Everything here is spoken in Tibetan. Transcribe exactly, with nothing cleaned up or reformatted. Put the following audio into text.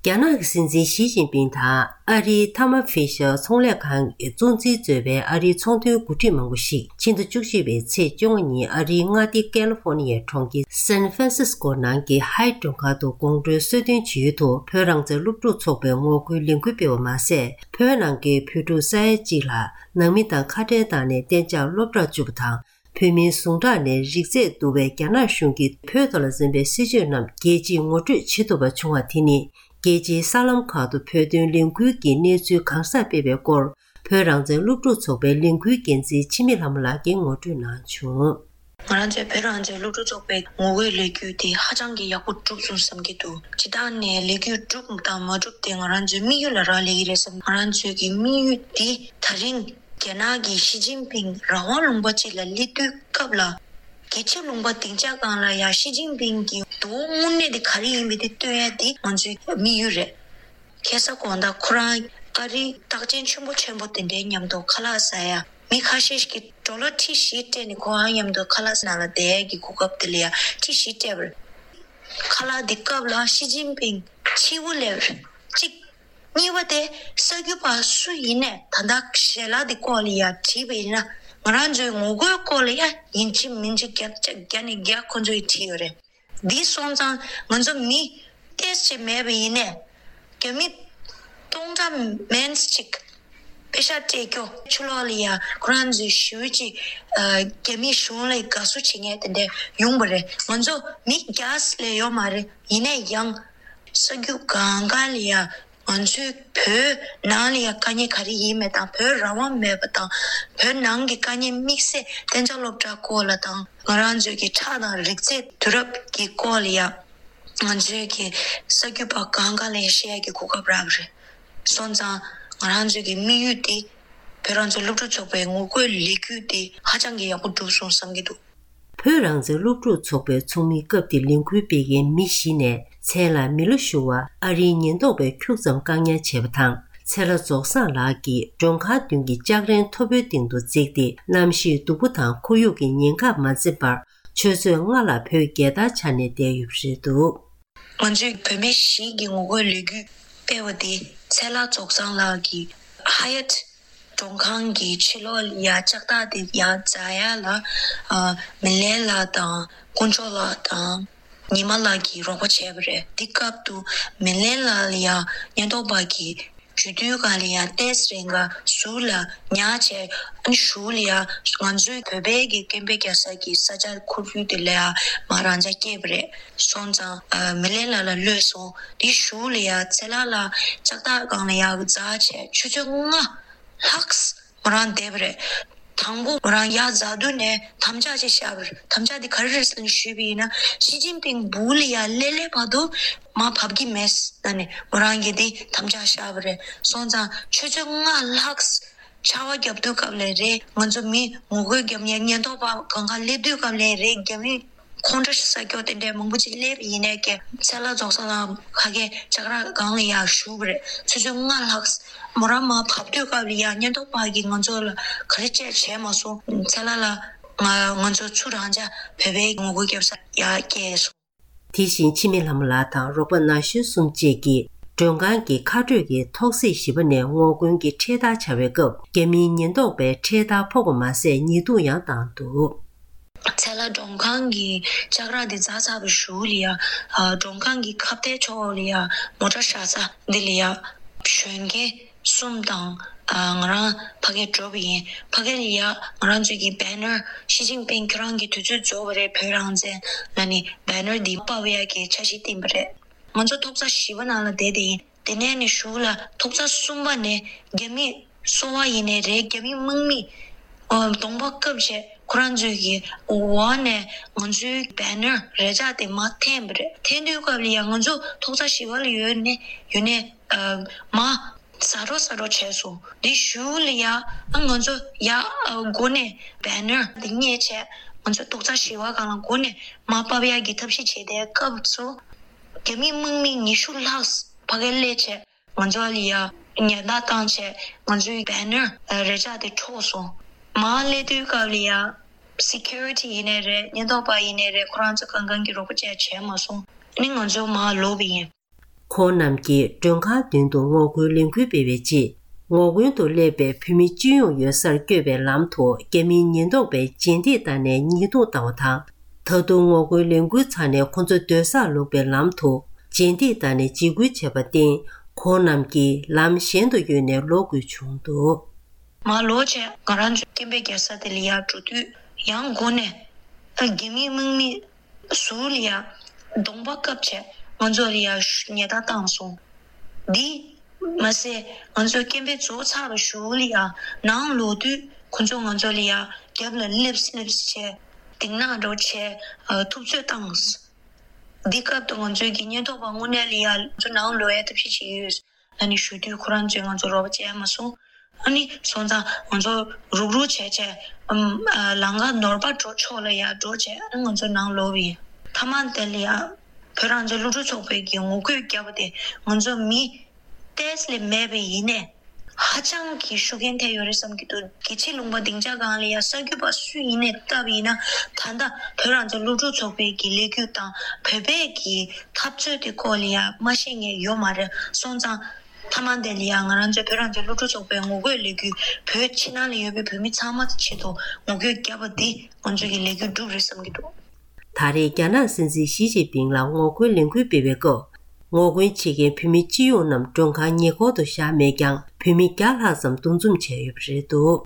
རྒྱ་ནག་གི་སྲིད་འཛིན་ཞི་ཅིན་ཕིང་དང་ཨ་རིའི་ཐར་མ་ཕི་ཤར་ཚོང་ལས་ཁང་གི་གཙོ་འཛིན་གཙོས་པའི་ཨ་རིའི་ཚོང་དོན་འགོ་ཁྲིད་མང་པོ་ཞིག་ཕྱི་ཟླ་བཅུ་གཅིག་པའི་ཚེས་བཅོ་ལྔ་ཉིན་ཨ་རིའི་མངའ་སྡེ་ཀ་ལི་ཧྥོ་ནི་ཡའི་གྲོང་ཁྱེར་སན་ཧྥ་རན་སིས་ཀོ་ནང་གི་ཧའེ་ཊི་མགྲོན་ཁང་དུ་དགོང་དྲོའི་གསོལ་སྟོན་བྱེད་ཡུལ་དུ་བོད་རང་བཙན་སློབ་ཕྲུག་ཚོགས་པའི་ངོ་རྒོལ་ལས་འགུལ་སྤེལ་བ་མ་ཟད། བོད་ནང་གི་བོད་ཕྲུག་ས་ཡ་གཅིག་ལྷག་ནང་མི་དང་ཁ་བྲལ་བཏང་ནས་གཏན་འཇགས་སློབ་གྲྭར་བཅུག་པ་དང་། བོད་མིའི་ཟུང་དྲགས་ནས་རིགས་རྫས་བསྡུ་བའི་རྒྱ་ནག་གཞུང་གིས་བོད་ཐོག་ལ་འཛིན་པའི་སྲིད་བྱུས་རྣམས་རྒྱལ་སྤྱིས་ངོ་སྤྲོད་བྱེད་ཐུབ་པ་བྱུང་བ་དེ་ནི། རྒྱལ་སྤྱིའི་གསར་ལམ་ཁག་ཏུ་བོད་དོན་ལས་འགུལ་གྱི་གནས་ཚུལ་གང་སར་སྤེལ་བའི་སྐོར། བོད་རང་བཙན་སློབ་ཕྲུག་ཚོགས་པའི་ལས་འགུལ་འགན་འཛིན་འཆི་མེད་ལྷ་མོ་ལགས་ཀྱིས་ངོ་སྤྲོད་གནང་བྱུང་། ང་རང་ཚོའི་བོད་རང་བཙན་སློབ་ཕྲུག་ཚོགས་པའི་ངོ་རྒོལ་ལས་འགུལ་དེ་ཧ་ཅང་གི་ཡག་པོ་གྲུབ་སོང་བསམ་གྱི་འདུག་སྤྱིར་བཏང་ནས་ལས་འགུལ་གྲུབ་དང་མ་གྲུབ་དེ་ང་རང་ཚོའི་དམིགས་ཡུལ་ལ་རག་ལས་ཀྱི་རེད་བསམ། ང་རང་ཚོའི་གི་དམིགས་ཡུལ་དེ་ད་རིང་རྒྱ་ནག་གི་ཞི་ཅིན་ཕིང་རང་དབང་ལུང་པ་གཅིག་ལ་སླེབས་དུས་སྐབས་ལ། རྒྱལ་ཁབ་ལུང་པ་སྡིངས་ཆ་སྒང་ལ་ཡང་ཞི་ཅིན་ཕིང་གི་དོ་དངོས་གནས་དེ་ག་རེ་ཡིན་པའི་དེ་སྟོན་ཡ་དེ་ང་ཚོའི་དམིགས་ཡུལ་རེད། ཁ་སང་དགོང་དག་ཁོ་རང་ཨ་རིའི་རྟགས་ཅན་ཆེན་པོ་ཆེན་པོ་དེ་འདྲའི་མཉམ་དུ་ཁ་ལག་ཟ་ཡ། མི་ཁ་ཤས་ཤིག་གིས་ཌོ་ལར་ཁྲི་བཞི་སྤྲད་ནས་ཁོ་རང་མཉམ་དུ་ཁ་ལག་ནང་ལ་བསྡད་ཡ་གི་གོ་སྐབས་དེ་ལ་ཡ་ཁྲི་བཞི་སྤྲད་པ་རེད། ཁ་ལག་འདི་སྐབས་ལ་ཞི་ཅིན་ཕིང་ཕྱི་པོ་སླེབས་རེད། གཅིག་གཉིས་པ་དེ་གསར་འགོད་པ་སུ་ཡིན་ནས་ད་ལྟ་ཞལ་ལག་འདི་སྐོར་ལ་ཡ་དྲིས་པ་ཡིན་ན། ང་རང་ཚོའི་ངོ་རྒོལ་སྐོར་ལ་ཡ་ཡིན་གཅིག་མིན་གཅིག་བརྒྱ་ཆ་བརྒྱ་ནས་བརྒྱ་ཁོ་ཚོས་དྲིས་ཡོད་རེད། འདི་སོང་ཙང་ང་ཚོ་མི་ཏོག་ཙམ་མེད་པ་ཡིན་ནས་རྒྱ་མི་སྟོང་ཕྲག་མན་ཙམ་ཅིག་པེ་ཤག་སྤྲད་སྐྱོ། ཕྱི་ལོགས་ལ་ཡ་ཁོ་རང་ཚོའི་ཞུ་ཅིག་རྒྱ་མི་གཞུང་ལ་དགའ་བསུ་བྱེད་མཁན་དེ་འདྲ་ཡོང་བ་རེད། ང་ཚོ་མི་བརྒྱ་ལས་ཡོད་མ་རེད། ཡིན་ན་ཡང་གསར་འགྱུར་གང་ག་ལ་ཡ་ང་ཚོའི་བོད་ནང་ལ་ཡ་དཀའ་ངལ་ག་རེ་ཡིན་མེད་དང་། བོད་རང་དབང་མེད་པ་དང་། བོད་ནང་གི་དཀའ་ངལ་དམིགས་བསལ་གཏན་འཇགས་སློབ་གྲྭ་སྐོར་ལ་དང་། ང་རང་ཚོའི་གི་ཁྲག་དང་རིགས་རྫས་བསྡུ་རུབ་ཀྱི་སྐོར་ལ་ཡ་ང་ཚོའི་གི་གསར་འགྱུར་པ་གང་ག་ལ་ཡ་བཤད་ཡ་གི་གོ་སྐབས་རག་པ་རེད། སོང་ཙང་ང་རང་ཚོའི་གི་དམིགས་ཡུལ་དེ་བོད་རང་བཙན་སློབ་ཕྲུག་ཚོགས་པའི་ངོ་རྒོལ་ལས་འགུལ་དེ་ཧ་ཅང་གི་ཡག་པོ་གྲུབ་སོང་བསམ་གྱི་འདུག་བོད་རང་བཙན་སློབ་ཕྲུག་ཚོགས་པའི་ཚོགས་མིའི་སྐབས་དེར་ལས་འགུལ་སྤེལ་མཁན་མི་བཞི་ནས་མཚན་ལ་མི་ལོ་ཞུ་བ་ཨ་རིའི་ཉེན་རྟོག་པས་ཁྱུག་ཙམ་བཀག་ཉར་བྱས་པ་དང་། ཚེ་ལྷ་རྫོགས་བཟང་ལགས་ཀྱིས་མགྲོན་ཁང་མདུན་གྱི་ལྕགས་རིང་མཐོ་པོའི་སྟེང་དུ་འཛེགས་ཏེ། གནམ་གཤིས་སྡུག་པོ་དང་ཁོར་ཡུག་གི་ཉེན་ཁར་མ་འཛེམས་པར་ཆུ་ཚོད་ལྔ་ལ་བོད་རྒྱལ་དར་འཕྱར་ནས་བསྡད་ཡོད་པ་རེད་འདུག་ང་ཚོས་བོད་མི་བཞི་གི་ངོ་རྒོལ་ལས་འགུལ་སྤེལ་བ་དེ་ཚེ་ལྷ་རྫོགས་བཟང་ལགས་ཀྱིས་ཧ་ཡ་ཊི་མགྲོན་ཁང་གི་ཕྱི་ལོགས་ལ་ཡ་ལྕགས་ཐག་དེ་ཡར་འཛེག་ཡ་ལ། ཨ། མི་ལན་ལགས་དང་དཀོན་མཆོག་ལགས་དང་ཉི་མ་ལགས་ཀྱིས་རོགས་པ་བྱས་པ་རེད། འདི་སྐབས་དུ་མི་ལན་ལགས་ལ་ཡ་ཉེན་རྟོག་པ་གིས་འཇུ་དུས་སྒང་ལ་ཡ་ཏོག་ཙམ་རིང་ག་ཟུར་ལ་ཉར་བྱས། ཨ་ནི་གཞུག་ལ་ཡ་ང་ཚོའི་བོད་པའི་གི་སྐད་འབོད་རྒྱག་ས་གི་ས་ཆ་ཁོར་ཡུག་དེ་ལ་ཡ་མར་རང་འཇགས་བསྐྱལ་བ་རེད། སོང་ཙང་ཨ་མི་ལན་ལགས་ལ་གློད་སོང་། དེ་གཞུག་ལ་ཡ་ཚེ་ལྷ་ལགས་ལྕགས་ཐག་སྒང་ལ་ཡ་འཛེགས་བྱས་ཆུ་ཚོད་ལྔ་ལྷག་མོ་རང་བསྡད་པ་རེད། དང་པོ་མོ་རང་ཡར་འཛེགས་དུས་ནས་དམ་བཅའ་ཅིག་བཞག་པ་རེད། དམ་བཅའ་དེ་ག་རེ་རེད་ཟེར་ནས་ཞུས་པ་ཡིན་ན། ཞི་ཅིན་ཕིང་སྦུག་ལ་ཡར་སླེབས་སླེབས་བར་དུ་མར་བབས་ཀྱི་མེད་ཟེར་ནས་མོ་རང་གིས་དེ་དམ་བཅའ་བཞག་པ་རེད། སོང་ཙང་ཆུ་ཚོད་ལྔ་ལྷག་ཆར་པ་བརྒྱབ་དུས་སྐབས་ལ་རེད། ང་ཚོ་མི་ངོ་རྒོལ་རྒྱབ་མཁན་ཉེན་རྟོག་པ་སྒང་ག་སླེབས་དུས་སྐབས་ལ་རེད། རྒྱ་མི་ཁོང་ཁྲོ་ཟ་སྐྱོ་དེ་འདྲའི་མང་པོ་ཅིག་སླེབས་ཡིན་ནའི་ཀྱེ། ཚེ་ལྷ་རྫོགས་བཟང་ལགས་ཕ་གིའི་ལྕགས་ར་སྒང་ལ་ཡར་བཞུགས་པ་རེད། ཆུ་ཚོད་ལྔ་ལྷག་མོ་རང་མར་བབས་དུས་སྐབས་ལ་ཡ་ཉེན་རྟོག་པ་གིས་ང་ཚོ་ལ་ག་རེ་བྱས་བྱས་མ་སོང་། ཚེ་ལྷ་ལགས་ང་ང་ཚོ་ཚུར་རང་འཇགས་བོད་པའི་ངོ་རྒོལ་རྒྱབ་ས་ཡར་བསྐྱལ་སོང་། དེ་བཞིན་འཆི་མེད་ལྷ་མོ་ལགས་དང་རོགས་པ་ན་གཞོན་གསུམ་བཅས་ཀྱིས་མགྲོན་ཁང་གི་ཁ་སྤྲོད་ཀྱི་ཐོག་སེར་བཞི་པ་ནས་ངོ་རྒོལ་གྱི་འཕྲེད་དར་འཕྱར་བའི་སྐབས། རྒྱ་མིའི་ཉེན་རྟོག་པས་འཕྲེད་དར་ཕོག་པ་མ་ཟད་ཉེས་རྡུང་ཡང་བཏང་འདུག་ཚེ་ལྷ་མགྲོན་ཁང་གི་ལྕགས་ར་དེ་འཛེགས་ཚར་བའི་གཞུག་ལ་ཡ། ཨ། མགྲོན་ཁང་གི་ཁ་གཏད་ཕྱོགས་ལ་ཡ་མོ་ཊ་བཞག་ས་འདི་ལ་ཡ་གཞོན་སྐྱེས་གསུམ་དང་། ཨ། ང་རང་ཕ་གིར་འགྲོ་བ་ཡིན། ཕ་གི་ལ་ཡ་ང་རང་ཚོའི་གི་བེ་ནར། ཞི་ཅིན་ཕིང་ཁྱེད་རང་གི་དུས་ཚོད་རྫོགས་པ་རེད། བོད་རང་བཙན་ལབ་ནས་བེ་ནར་འདི་ཕབ་ཡ་གི་འཆར་གཞི་བཏིང་པ་རེད། ང་ཚོ་ཐོག་ས་བཞི་པ་ནང་ལ་བསྡད་དེ་ཡིན། དེ་ནས་ནི་གཞུག་ལ་ཐོག་ས་གསུམ་པ་ནས་རྒྱ་མི་སོ་པ་ཡིན་ནའི་རེད། རྒྱ་མི་དམག་མི་ཨ་གདོང་པ་བཀབ་བྱས་ཁོ་རང་ཚོའི་གི་འོག་ནས་ང་ཚོའི་བེ་ནར་རེ་ལྕག་དེ་མར་འཐེན་པ་རེད། འཐེན་དུས་སྐབས་ལ་ཡང་ང་ཚོ་ཐོག་ས་བཞི་པ་ལ་ཡོད་ནས་ཡོད་ནས་ཨ་མར་ཟ་འགྲོ་ཟ་འགྲོ་བྱས་སོང་། དེ་གཞུག་ལ་ཡ་ཨ་ང་ཚོ་ཡ་ཨ་སྒོ་ནས་བེ་ནར་དེ་རྙེད་བྱས་ང་ཚོ་ཐོག་ས་བཞི་པ་སྒང་ལ་སྒོ་ནས་མར་ཕབ་ཡག་གི་ཐབས་ཤེས་བྱས་དེ་སྐབས་སུ། རྒྱ་མི་དམག་མི་ཉི་ཤུ་ལྷག་ཕ་གིར་སླེབས་བྱས་ང་ཚོ་ལ་ཡ་ཉེན་བརྡ་བཏང་བྱས་ང་ཚོའི་བེ་ནར་རེ་ལྕག་དེ་འཕྲོག་སོང་། མར་སླེབས་དུས་སྐབས་ལ་ཡ་སི་ཁུ་རི་ཊི་ཡིན་ནའི་རེད། ཉེན་རྟོག་པ་ཡིན་ནའི་རེད། ཁོ་རང་ཚོ་གང་གང་གིས་རོགས་པ་བྱས་བྱས་མ་སོང་། ཨ་ནི་ང་ཚོ་མར་ལོག་པ་ཡིན། ཁོང་རྣམས་ཀྱིས་མགྲོན་ཁང་མདུན་དུ་ངོ་རྒོལ་ལས་འགུལ་སྤེལ་བའི་རྗེས། ངོ་རྒོལ་དུ་སླེབས་པའི་བོད་མི་སྤྱི་ཡོངས་ཡོད་སར་བསྐྱོད་པའི་ལམ་དུ་རྒྱ་མིའི་ཉེན་རྟོག་པས་རྗེས་འདེད་བཏང་ནས་ཉེས་རྡུང་བཏང་བ་དང་། ད་དུང་ངོ་རྒོལ་ལས་འགུལ་ཚར་ནས་ཁོང་ཚོ་སྡོད་སར་ལོག་པའི་ལམ་དུ་རྗེས་འདེད་བཏང་ནས་འཇིགས་སྐུལ་བྱས་པར་བརྟེན། ཁོང་རྣམས་ཀྱིས་ལམ་གཞན་དུ་གཡོལ་ནས་ལོག་དགོས་བྱུང་འདུག། མར་ལོག་བྱས་ང་རང་ཚོའི་སྐད་འབོད་རྒྱག་ས་དེ་ལ་ཡར་འགྲོ་དུས་ཡང་སྒོ་ནས་ཨ་རྒྱ་མིའི་དམག་མི་ཟུར་ལ་ཡ་གདོང་པ་བཀབ་བྱས་ང་ཚོ་ལ་ཡ་ཉེས་རྡུང་བཏང་སོང་། འདི་མ་ཟད་ང་ཚོ་སྐད་འབོད་རྫོགས་ཚར་བའི་གཞུག་ལ་ཡ་ནང་ལོག་དུས་ཁོ་ཚོ་ང་ཚོ་ལ་ཡ་རྒྱབ་ལ་སླེབས་སླེབས་བྱས་སྡིགས་ར་འདྲ་བྱས་ཨ་ཐུབ་ཚོད་བཏང་། འདི་སྐབས་དུ་ང་ཚོའི་གི་ཉེན་རྟོག་པ་དངོས་གནས་ལ་ཡ་ང་ཚོ་ནང་ལོག་ཡ་ཐབས་ཤེས་བྱེད་ཀྱི་ཡོད། ཨ་ནི་ཞུ་དུས་ཁོ་རང་ཚོས་ང་ཚོ་རོགས་པ་བྱས་མ་སོང་། ཨ་ནི་སོང་ཙང་ང་ཚོ་རུག་རུག་བྱས་བྱས་ཨམ་ཨ་ལམ་ཁ་ནོར་བ་འགྲོ་ཕྱོགས་ལ་ཡར་འགྲོ་བྱས་ཨ་ནི་ང་ཚོ་ནང་ལོག་པ་ཡིན། མཐའ་མ་དེ་ལ་ཡ་བོད་རང་བཙན་སློབ་ཕྲུག་ཚོགས་པའི་གི་ངོ་རྒོལ་བརྒྱབ་པ་དེ་ང་ཚོ་མི་ཏོག་ཙམ་ལས་མེད་པ་ཡིན་ནའི་ཧ་ཅང་གི་ཤུགས་རྐྱེན་ཐེབས་ཡོད་རེད་བསམ་གྱི་འདུག། རྒྱལ་སྤྱིའི་ལུང་པ་སྡིངས་ཆ་སྒང་ལ་ཡ་གསར་འགོད་པ་སུ་ཡིན་ནའི་བལྟས་པ་ཡིན་ན་ད་ལྟ་བོད་རང་བཙན་སློབ་ཕྲུག་ཚོགས་པའི་གི་ལས་འགུལ་དང་བོད་པའི་གི་འཐབ་རྩོད་དེ་སྐོར་ལ་ཡ་མ་ཤེས་མཁན་ཡོད་མ་རེད། སོང་ཙང་མཐའ་མ་དེ་ལ་ཡ་ང་རང་ཚོའི་བོད་རང་བཙན་སློབ་ཕྲུག་ཚོགས་པའི་ངོ་རྒོལ་ལས་འགུལ་བོད་ཕྱི་ནང་ལ་ཡོད་པའི་བོད་མི་ཚང་མ་ཆེད་དུ་ངོ་རྒོལ་བརྒྱབ་པ་འདི་ང་ཚོ་གི་ལས་འགུལ་འགྲུབ་རེད་བསམ་གྱི་འདུག། ད་རེས་རྒྱ་ནག་སྲིད་འཛིན་ཞི་ཅིན་ཕིང་ལ་ངོ་རྒོལ་ལས་འགུལ་སྤེལ་བའི་སྐབས། ངོ་རྒོལ་བྱེད་མཁན་བོད་མི་སྤྱི་ཡོངས་རྣམས་མགྲོན་ཁང་ཉེ་འཁོར་དུ་བཞག་མེད་ཀྱང་། བོད་མི་བརྒྱ་ལྷག་ཙམ་འདུ་འཛོམས་བྱས་ཡོད་པ་རེད་འདུག།